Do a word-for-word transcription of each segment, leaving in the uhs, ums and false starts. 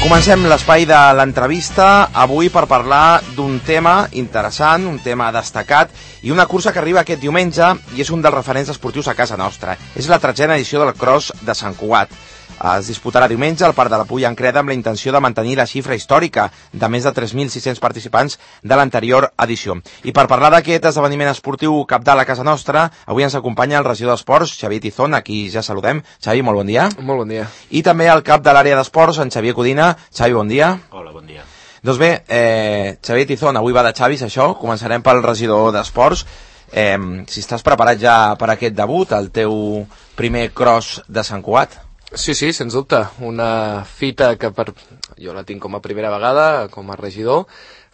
Comencem l'espai de l'entrevista avui per parlar d'un tema interessant, un tema destacat i una cursa que arriba aquest diumenge i és un dels referents esportius a casa nostra. És la tretzena edició del Cross de Sant Cugat. Es disputarà diumenge al Parc de la Pulla en Creda amb la intenció de mantenir la xifra històrica de més de tres mil sis-cents participants de l'anterior edició. I per parlar d'aquest esdeveniment esportiu cabdal a casa nostra, avui ens acompanya el regidor d'Esports, Xavier Tizón, a qui ja saludem. Xavi, molt bon dia. Molt bon dia. I també el cap de l'àrea d'Esports, en Xavier Codina. Xavi, bon dia. Hola, bon dia. Doncs bé, eh, Xavier Tizón, avui va de Xavis, això. Començarem pel regidor d'Esports. Eh, si estàs preparat ja per aquest debut, el teu primer cross de Sant Cugat. Sí, sí, sens dubte. Una fita que per... jo la tinc com a primera vegada, com a regidor,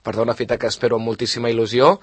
per tant una fita que espero amb moltíssima il·lusió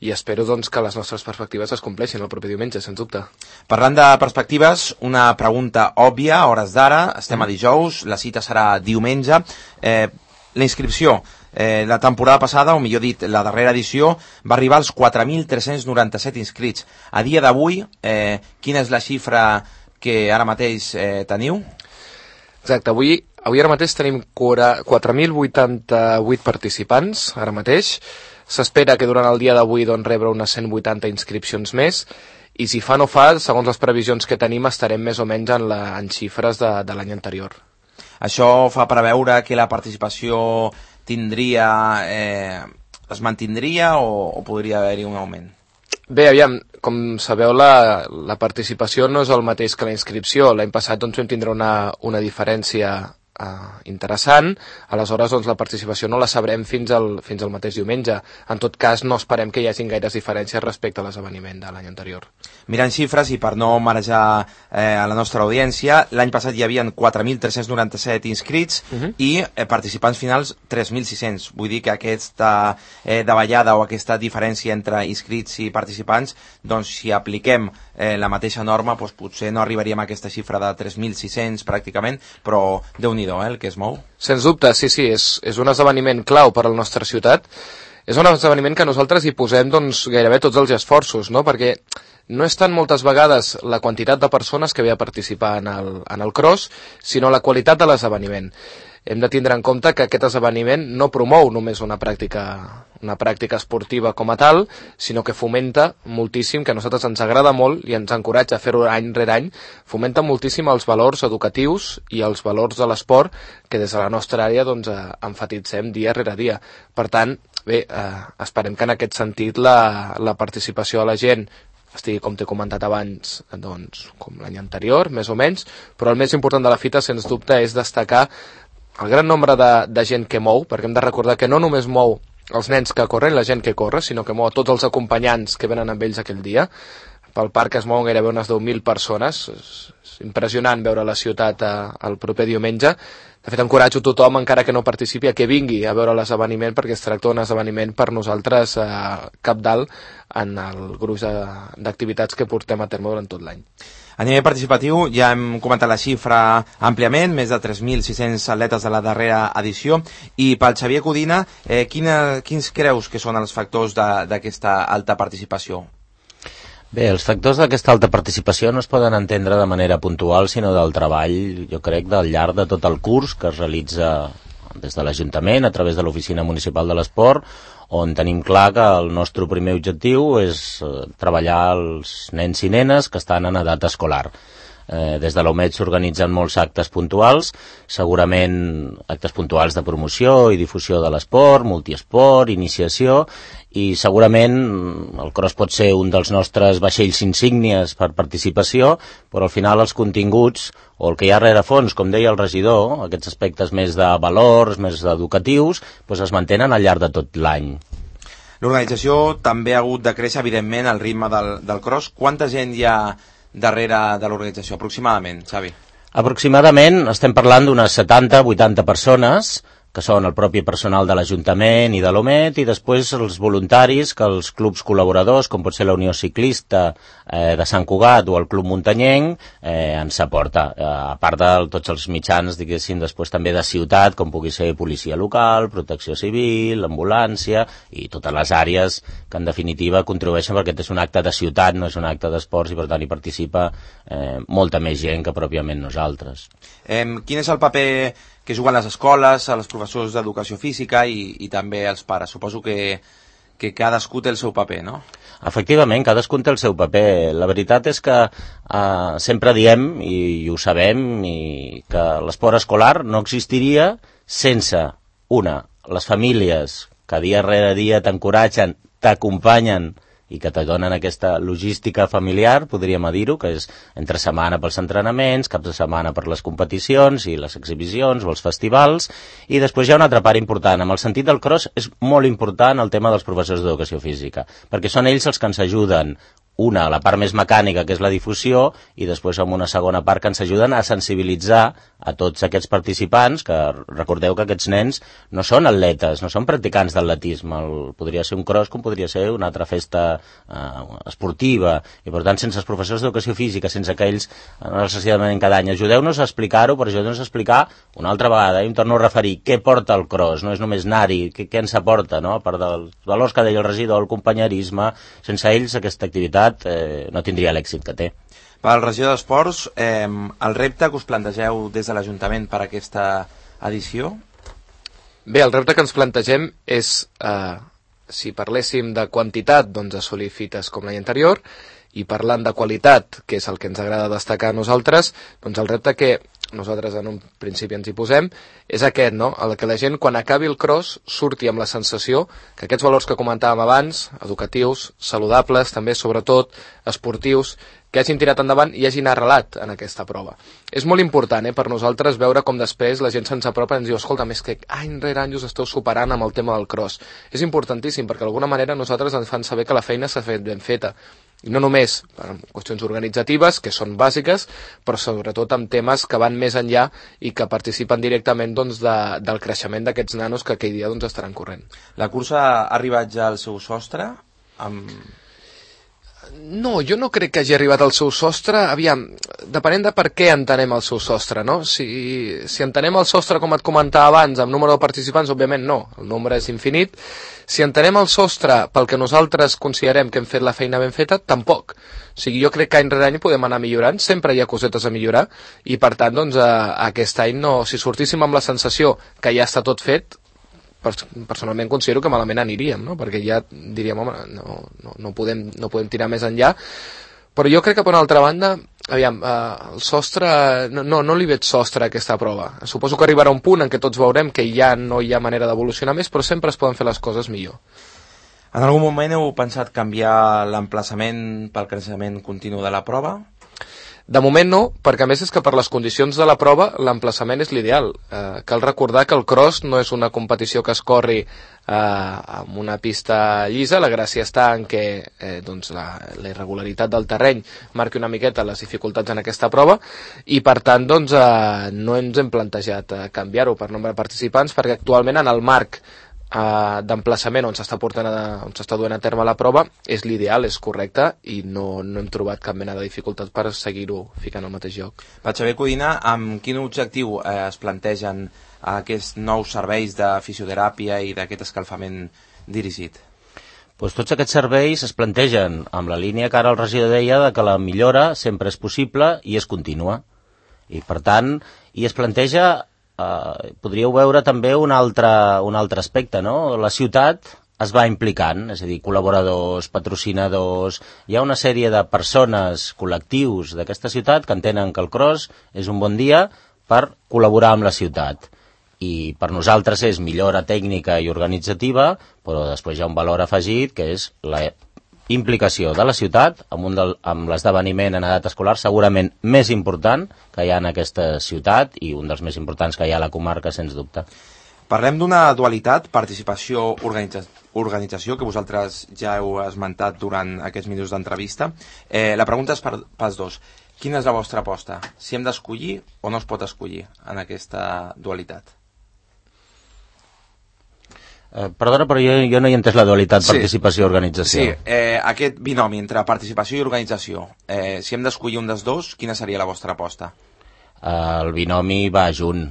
i espero doncs, que les nostres perspectives es compleixin el proper diumenge, sens dubte. Parlant de perspectives, una pregunta òbvia, a hores d'ara, estem a dijous, la cita serà diumenge. Eh, la inscripció, eh, la temporada passada, o millor dit, la darrera edició, va arribar als quatre mil tres-cents noranta-set inscrits. A dia d'avui, eh, quina és la xifra que ara mateix eh, teniu? Exacte, avui, avui ara mateix tenim quatre mil vuitanta-vuit participants, ara mateix. S'espera que durant el dia d'avui doncs, rebre unes cent vuitanta inscripcions més, i si fa no fa, segons les previsions que tenim, estarem més o menys en, la, en xifres de, de l'any anterior. Això fa preveure que la participació tindria, eh, es mantindria o, o podria haver-hi un augment? Bé, aviam, com sabeu, la, la participació no és el mateix que la inscripció. L'any passat doncs, vam tindre una, una diferència eh, interessant, aleshores doncs, la participació no la sabrem fins al, fins al mateix diumenge. En tot cas, no esperem que hi hagin gaires diferències respecte a l'esdeveniment de l'any anterior. Mirant xifres, i per no marejar eh, a la nostra audiència, l'any passat hi havia quatre mil tres-cents noranta-set inscrits uh -huh. i eh, participants finals tres mil sis-cents. Vull dir que aquesta eh, davallada o aquesta diferència entre inscrits i participants, doncs si apliquem eh, la mateixa norma, doncs potser no arribaríem a aquesta xifra de tres mil sis-cents pràcticament, però déu-n'hi-do, eh, el que es mou. Sens dubte, sí, sí, és, és un esdeveniment clau per a la nostra ciutat. És un esdeveniment que nosaltres hi posem doncs, gairebé tots els esforços, no? Perquè no és tant moltes vegades la quantitat de persones que ve a participar en el, en el cross, sinó la qualitat de l'esdeveniment. Hem de tindre en compte que aquest esdeveniment no promou només una pràctica, una pràctica esportiva com a tal, sinó que fomenta moltíssim, que a nosaltres ens agrada molt i ens encoratja a fer-ho any rere any, fomenta moltíssim els valors educatius i els valors de l'esport que des de la nostra àrea doncs, emfatitzem dia rere dia. Per tant, bé, eh, esperem que en aquest sentit la, la participació de la gent estigui, com t'he comentat abans, doncs, com l'any anterior, més o menys, però el més important de la fita, sens dubte, és destacar el gran nombre de, de gent que mou, perquè hem de recordar que no només mou els nens que corren, la gent que corre, sinó que mou a tots els acompanyants que venen amb ells aquell dia. Pel parc es mouen gairebé unes deu mil persones. És, és impressionant veure la ciutat eh, el proper diumenge. De fet, encoratjo tothom, encara que no participi, a que vingui a veure l'esdeveniment, perquè es tracta d'un esdeveniment per nosaltres eh, capdalt en el gruix d'activitats que portem a terme durant tot l'any. A nivell participatiu ja hem comentat la xifra àmpliament, més de tres mil sis-cents atletes de la darrera edició, i pel Xavier Codina, eh, quina, quins creus que són els factors d'aquesta alta participació? Bé, els factors d'aquesta alta participació no es poden entendre de manera puntual, sinó del treball, jo crec, del llarg de tot el curs que es realitza des de l'Ajuntament, a través de l'Oficina Municipal de l'Esport, on tenim clar que el nostre primer objectiu és eh, treballar els nens i nenes que estan en edat escolar. Eh, des de l'O M E D s'organitzen molts actes puntuals, segurament actes puntuals de promoció i difusió de l'esport, multiesport, iniciació, i segurament el cross pot ser un dels nostres vaixells insígnies per participació, però al final els continguts o el que hi ha rerefons, com deia el regidor, aquests aspectes més de valors, més educatius, doncs es mantenen al llarg de tot l'any. L'organització també ha hagut de créixer, evidentment, al ritme del, del cross. Quanta gent hi ha darrere de l'organització, aproximadament, Xavi? Aproximadament estem parlant d'unes setanta a vuitanta persones, que són el propi personal de l'Ajuntament i de l'O M E D, i després els voluntaris que els clubs col·laboradors, com pot ser la Unió Ciclista eh, de Sant Cugat o el Club Muntanyenc, eh, ens aporta. Eh, a part de tots els mitjans, diguéssim, després també de ciutat, com pugui ser policia local, protecció civil, ambulància, i totes les àrees que en definitiva contribueixen, perquè aquest és un acte de ciutat, no és un acte d'esports, i per tant hi participa eh, molta més gent que pròpiament nosaltres. Eh, quin és el paper que juguen les escoles, els professors d'educació física i, i també els pares. Suposo que, que cadascú té el seu paper, no? Efectivament, cadascú té el seu paper. La veritat és que eh, sempre diem, i, i ho sabem, i que l'esport escolar no existiria sense, una, les famílies que dia rere dia t'encoratgen, t'acompanyen i que te donen aquesta logística familiar, podríem dir-ho, que és entre setmana pels entrenaments, caps de setmana per les competicions i les exhibicions o els festivals, i després hi ha una altra part important. En el sentit del cross és molt important el tema dels professors d'educació física, perquè són ells els que ens ajuden, una, la part més mecànica, que és la difusió, i després amb una segona part que ens ajuden a sensibilitzar a tots aquests participants, que recordeu que aquests nens no són atletes, no són practicants d'atletisme, el, podria ser un cross com podria ser una altra festa eh, esportiva, i per tant sense els professors d'educació física, sense que ells necessàriament cada any ajudeu-nos a explicar-ho, per ajudeu-nos a explicar una altra vegada, i em torno a referir, què porta el cross, no és només anar-hi, què, què ens aporta, no? A part dels valors que deia el regidor, el companyerisme, sense ells aquesta activitat eh, no tindria l'èxit que té. Pel regidor d'Esports, eh, el repte que us plantegeu des de l'Ajuntament per a aquesta edició? Bé, el repte que ens plantegem és, eh, si parléssim de quantitat, doncs assolir fites com l'any anterior, i parlant de qualitat, que és el que ens agrada destacar a nosaltres, doncs el repte que nosaltres en un principi ens hi posem és aquest, no? El que la gent quan acabi el cross surti amb la sensació que aquests valors que comentàvem abans, educatius, saludables, també sobretot esportius, que hagin tirat endavant i hagin arrelat en aquesta prova. És molt important eh, per nosaltres veure com després la gent se'ns apropa i ens diu, escolta, més que any rere any us esteu superant amb el tema del cross. És importantíssim perquè d'alguna manera nosaltres ens fan saber que la feina s'ha fet ben feta. I no només en qüestions organitzatives, que són bàsiques, però sobretot amb temes que van més enllà i que participen directament doncs, de, del creixement d'aquests nanos que aquell dia doncs, estaran corrent. La cursa ha arribat ja al seu sostre? Amb... No, jo no crec que hagi arribat al seu sostre. Aviam, depenent de per què entenem el seu sostre, no? Si, si entenem el sostre, com et comentava abans, amb número de participants, òbviament no, el nombre és infinit. Si entenem el sostre pel que nosaltres considerem que hem fet la feina ben feta, tampoc. O sigui, jo crec que any rere any podem anar millorant, sempre hi ha cosetes a millorar, i per tant, doncs, a, aquest any, no, si sortíssim amb la sensació que ja està tot fet, personalment considero que malament aniríem, no? Perquè ja diríem, home, no, no, no, podem, no podem tirar més enllà, però jo crec que per una altra banda, aviam, eh, el sostre, no, no, no li veig sostre a aquesta prova. Suposo que arribarà un punt en què tots veurem que ja no hi ha manera d'evolucionar més, però sempre es poden fer les coses millor. En algun moment heu pensat canviar l'emplaçament pel creixement continu de la prova? De moment no, perquè a més és que per les condicions de la prova l'emplaçament és l'ideal. Eh, cal recordar que el cross no és una competició que es corri eh, amb una pista llisa, la gràcia està en què eh, doncs la, la irregularitat del terreny marqui una miqueta les dificultats en aquesta prova i per tant doncs, eh, no ens hem plantejat eh, canviar-ho per nombre de participants perquè actualment en el marc Uh, d'emplaçament on s'està portant a, on s'està duent a terme la prova és l'ideal, és correcte i no, no hem trobat cap mena de dificultat per seguir-ho ficant al mateix lloc. Per Xavier Codina, amb quin objectiu eh, es plantegen aquests nous serveis de fisioteràpia i d'aquest escalfament dirigit? Pues tots aquests serveis es plantegen amb la línia que ara el regidor deia de que la millora sempre és possible i és contínua i per tant i es planteja Uh, podríeu veure també un altre, un altre aspecte, no? La ciutat es va implicant, és a dir, col·laboradors, patrocinadors, hi ha una sèrie de persones, col·lectius d'aquesta ciutat que entenen que el cross és un bon dia per col·laborar amb la ciutat. I per nosaltres és millora tècnica i organitzativa, però després hi ha un valor afegit que és la implicació de la ciutat amb, un del, amb l'esdeveniment en edat escolar segurament més important que hi ha en aquesta ciutat i un dels més importants que hi ha a la comarca, sens dubte. Parlem d'una dualitat, participació, organitza, organització, que vosaltres ja heu esmentat durant aquests minuts d'entrevista. Eh, la pregunta és per, pels dos. Quina és la vostra aposta? Si hem d'escollir o no es pot escollir en aquesta dualitat? Eh, perdona, però jo, jo no hi he entès la dualitat, sí. Participació-organització. Sí, eh, aquest binomi entre participació i organització, eh, si hem d'escollir un dels dos, quina seria la vostra aposta? Eh, el binomi va junt.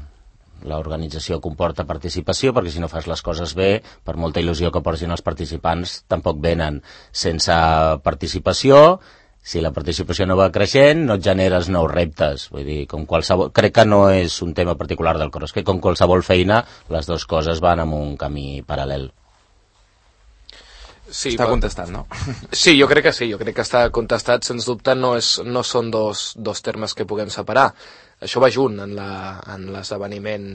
L'organització comporta participació, perquè si no fas les coses bé, per molta il·lusió que portin els participants, tampoc venen. Sense participació si la participació no va creixent, no et generes nous reptes. Vull dir, com qualsevol... Crec que no és un tema particular del cross, que com qualsevol feina, les dues coses van en un camí paral·lel. Sí, està contestat, no? Sí, jo crec que sí, jo crec que està contestat, sens dubte no, és, no són dos, dos termes que puguem separar. Això va junt en l'esdeveniment,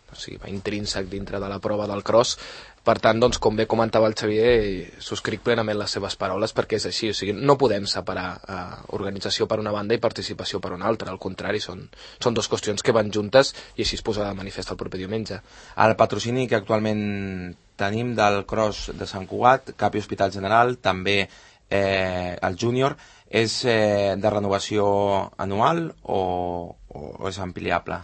o sigui, va intrínsec dintre de la prova del cross. Per tant, doncs, com bé comentava el Xavier, subscric plenament les seves paraules, perquè és així, o sigui, no podem separar eh, organització per una banda i participació per una altra, al contrari, són, són dues qüestions que van juntes i així es posa de manifest el proper diumenge. El patrocini que actualment tenim del cross de Sant Cugat, Cap i Hospital General, també eh, el júnior, és eh, de renovació anual o, o és ampliable?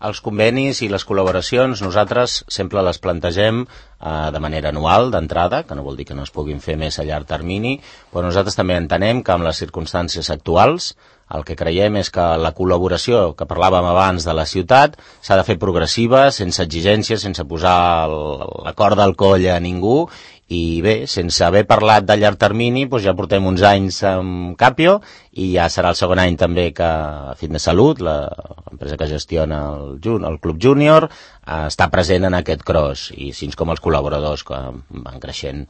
Els convenis i les col·laboracions nosaltres sempre les plantegem eh, de manera anual, d'entrada, que no vol dir que no es puguin fer més a llarg termini, però nosaltres també entenem que amb les circumstàncies actuals el que creiem és que la col·laboració que parlàvem abans de la ciutat s'ha de fer progressiva, sense exigències, sense posar la corda al coll a ningú, i bé, sense haver parlat de llarg termini, doncs ja portem uns anys amb Capio i ja serà el segon any també que Fitness Salut, l'empresa que gestiona el, el Club Júnior, està present en aquest cross, i així com els col·laboradors que van creixent.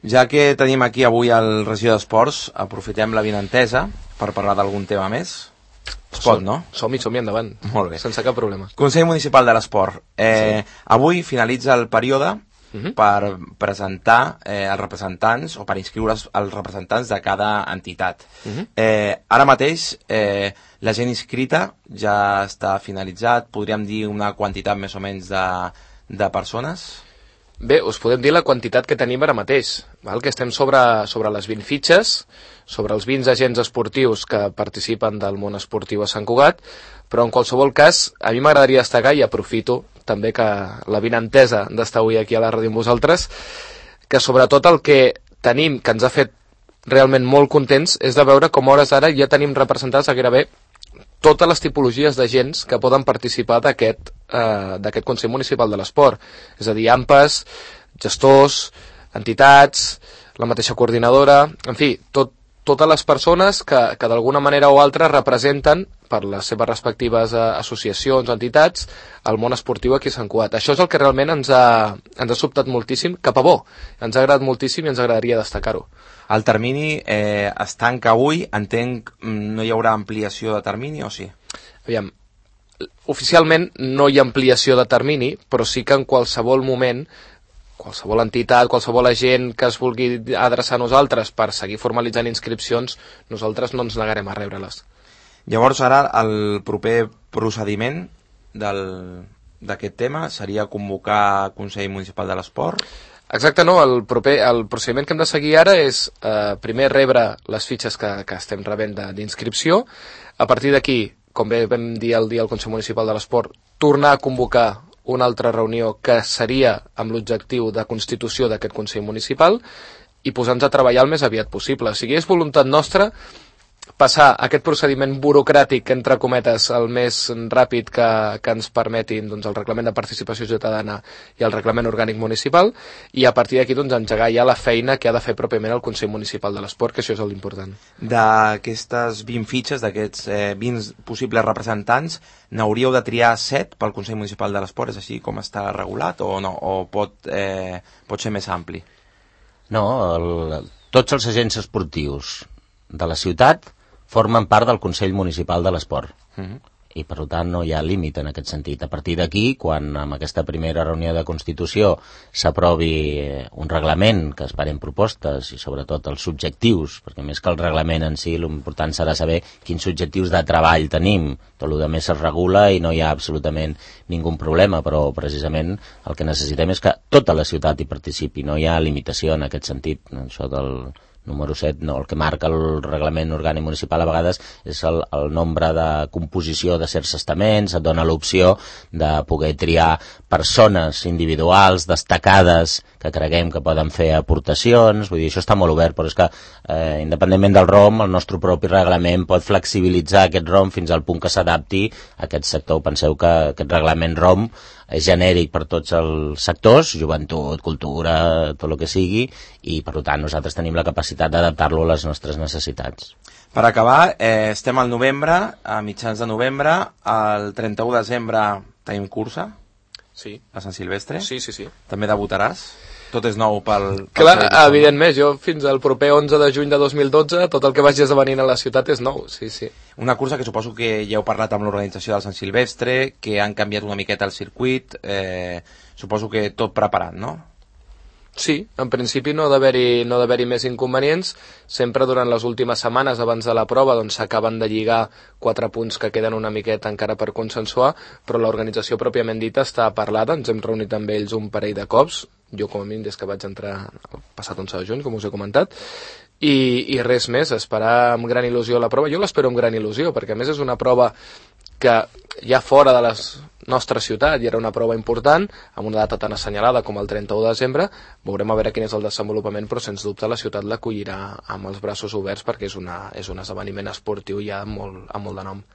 Ja que tenim aquí avui el regidor d'Esports, aprofitem la vinentesa per parlar d'algun tema més. Es pot, no? Som-hi, som-hi, endavant. Molt bé. Sense cap problema. Consell Municipal de l'Esport. Eh, sí. Avui finalitza el període uh-huh. per presentar eh, els representants o per inscriure els representants de cada entitat. Uh-huh. Eh, ara mateix eh, la gent inscrita ja està finalitzat. Podríem dir una quantitat més o menys de, de persones? Bé, us podem dir la quantitat que tenim ara mateix, val? Que estem sobre, sobre les vint fitxes, sobre els vint agents esportius que participen del món esportiu a Sant Cugat, però en qualsevol cas, a mi m'agradaria destacar, i aprofito també que la vinentesa d'estar avui aquí a la ràdio amb vosaltres, que sobretot el que tenim, que ens ha fet realment molt contents, és de veure com a hores ara ja tenim representats a gairebé totes les tipologies d'agents que poden participar d'aquest eh, d'aquest Consell Municipal de l'Esport. És a dir, A M P Es, gestors, entitats, la mateixa coordinadora, en fi, tot, totes les persones que, que d'alguna manera o altra representen per les seves respectives eh, associacions o entitats el món esportiu aquí a Sant Cugat. Això és el que realment ens ha, ens ha sobtat moltíssim, cap a bo. Ens ha agradat moltíssim i ens agradaria destacar-ho. El termini eh, es tanca avui, entenc, no hi haurà ampliació de termini o sí? Aviam, oficialment no hi ha ampliació de termini, però sí que en qualsevol moment, qualsevol entitat, qualsevol agent que es vulgui adreçar a nosaltres per seguir formalitzant inscripcions, nosaltres no ens negarem a rebre-les. Llavors ara el proper procediment d'aquest tema seria convocar Consell Municipal de l'Esport? Exacte, no. El, proper, el procediment que hem de seguir ara és eh, primer rebre les fitxes que, que estem rebent d'inscripció. A partir d'aquí, com bé vam dir el dia al Consell Municipal de l'Esport, tornar a convocar una altra reunió que seria amb l'objectiu de constitució d'aquest Consell Municipal i posar-nos a treballar el més aviat possible. O sigui, és voluntat nostra passar aquest procediment burocràtic, entre cometes, el més ràpid que, que ens permetin doncs, el reglament de participació ciutadana i el reglament orgànic municipal, i a partir d'aquí doncs, engegar ja la feina que ha de fer pròpiament el Consell Municipal de l'Esport, que això és l'important. D'aquestes vint fitxes, d'aquests eh, vint possibles representants, n'hauríeu de triar set pel Consell Municipal de l'Esport? És així com està regulat o no? O pot, eh, pot ser més ampli? No, el, tots els agents esportius de la ciutat formen part del Consell Municipal de l'Esport. Uh-huh. I per tant no hi ha límit en aquest sentit. A partir d'aquí, quan amb aquesta primera reunió de Constitució s'aprovi un reglament, que esperem propostes i sobretot els objectius, perquè més que el reglament en si, l'important serà saber quins objectius de treball tenim. Tot el que més es regula i no hi ha absolutament ningú problema, però precisament el que necessitem és que tota la ciutat hi participi. No hi ha limitació en aquest sentit. Això del número set, no, el que marca el reglament orgànic municipal a vegades és el, el nombre de composició de certs estaments, et dona l'opció de poder triar persones individuals, destacades, que creguem que poden fer aportacions. Vull dir, això està molt obert, però és que eh, independentment del R O M, el nostre propi reglament pot flexibilitzar aquest R O M fins al punt que s'adapti a aquest sector. Penseu que aquest reglament R O M és genèric per tots els sectors, joventut, cultura, tot el que sigui, i per tant nosaltres tenim la capacitat d'adaptar-lo a les nostres necessitats. Per acabar, eh, estem al novembre, a mitjans de novembre, el trenta-u de desembre tenim cursa, sí, a Sant Silvestre. Sí, sí, sí. També debutaràs? Tot és nou pel... pel Clar, evidentment, jo fins al proper onze de juny de dos mil dotze, tot el que vagi esdevenint a la ciutat és nou, sí, sí. Una cursa que suposo que ja heu parlat amb l'organització del Sant Silvestre, que han canviat una miqueta el circuit, eh, suposo que tot preparat, no? Sí, en principi no ha d'haver-hi no d'haver-hi més inconvenients. Sempre durant les últimes setmanes abans de la prova doncs s'acaben de lligar quatre punts que queden una miqueta encara per consensuar, però l'organització pròpiament dita està parlada, ens hem reunit amb ells un parell de cops, jo com a mínim des que vaig entrar el passat onze de juny, com us he comentat, i, i res més, esperar amb gran il·lusió la prova. Jo l'espero amb gran il·lusió, perquè a més és una prova que ja fora de la nostra ciutat i era una prova important, amb una data tan assenyalada com el trenta-u de desembre, veurem a veure quin és el desenvolupament, però sens dubte la ciutat l'acollirà amb els braços oberts perquè és, una, és un esdeveniment esportiu ja amb molt, amb molt de nom.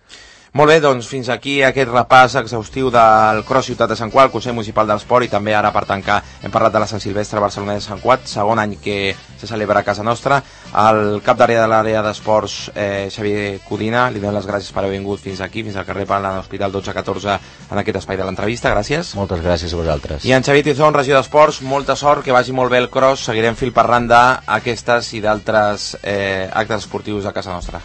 Molt bé, doncs fins aquí aquest repàs exhaustiu del Cross Ciutat de Sant Cugat, Consell Municipal de l'Esport, i també ara per tancar hem parlat de la Sant Silvestre Barcelona de Sant Cugat, segon any que se celebra a casa nostra. El cap d'àrea de l'àrea d'esports, eh, Xavier Codina, li donem les gràcies per haver vingut fins aquí, fins al carrer Pala, a l'Hospital dotze catorze, en aquest espai de l'entrevista. Gràcies. Moltes gràcies a vosaltres. I en Xavier Tizón, regidor d'Esports, molta sort, que vagi molt bé el cross, seguirem fil per randa aquestes i d'altres eh, actes esportius a casa nostra.